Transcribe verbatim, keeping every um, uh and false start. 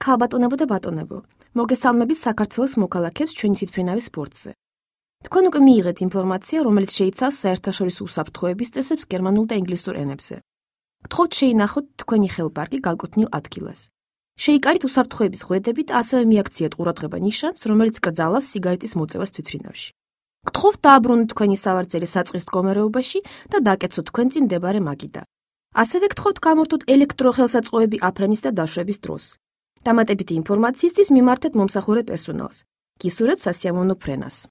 ხალბატონებო და ბატონებო, მოგესალმებით საქართველოს მოქალაქეებს ჩვენი თვითმფრინავის სპორტზე. თქვენ უკვე მიიღეთ ინფორმაცია, რომელიც შეიცავს საერთაშორისო უსაფრთხოების წესებს გერმანულ და ინგლისურ ენებზე. გთხოვთ შეინახოთ თქვენი ხელპარკი განკუთვნილ ადგილას. შეიკარით უსაფრთხოების ღვედებით, ასევე მიაქციეთ ყურადღება ნიშანს, რომელიც კრძალავს სიგარეტის მოწევას თვითმფრინავში. გთხოვთ დააბრუნოთ თქვენი სავარძელი საწყის მდგომარეობაში და დაკეცოთ თქვენ წინ მდებარე მაგიდა. ასევე გთხოვთ გამორთოთ ელექტროხელსაწყოები აფრენის და დაშვების დროს. დამატებითი ინფორმაციისთვის მიმართეთ მომსახურე პერსონალს. გისურვებთ სასიამოვნო ფრენას.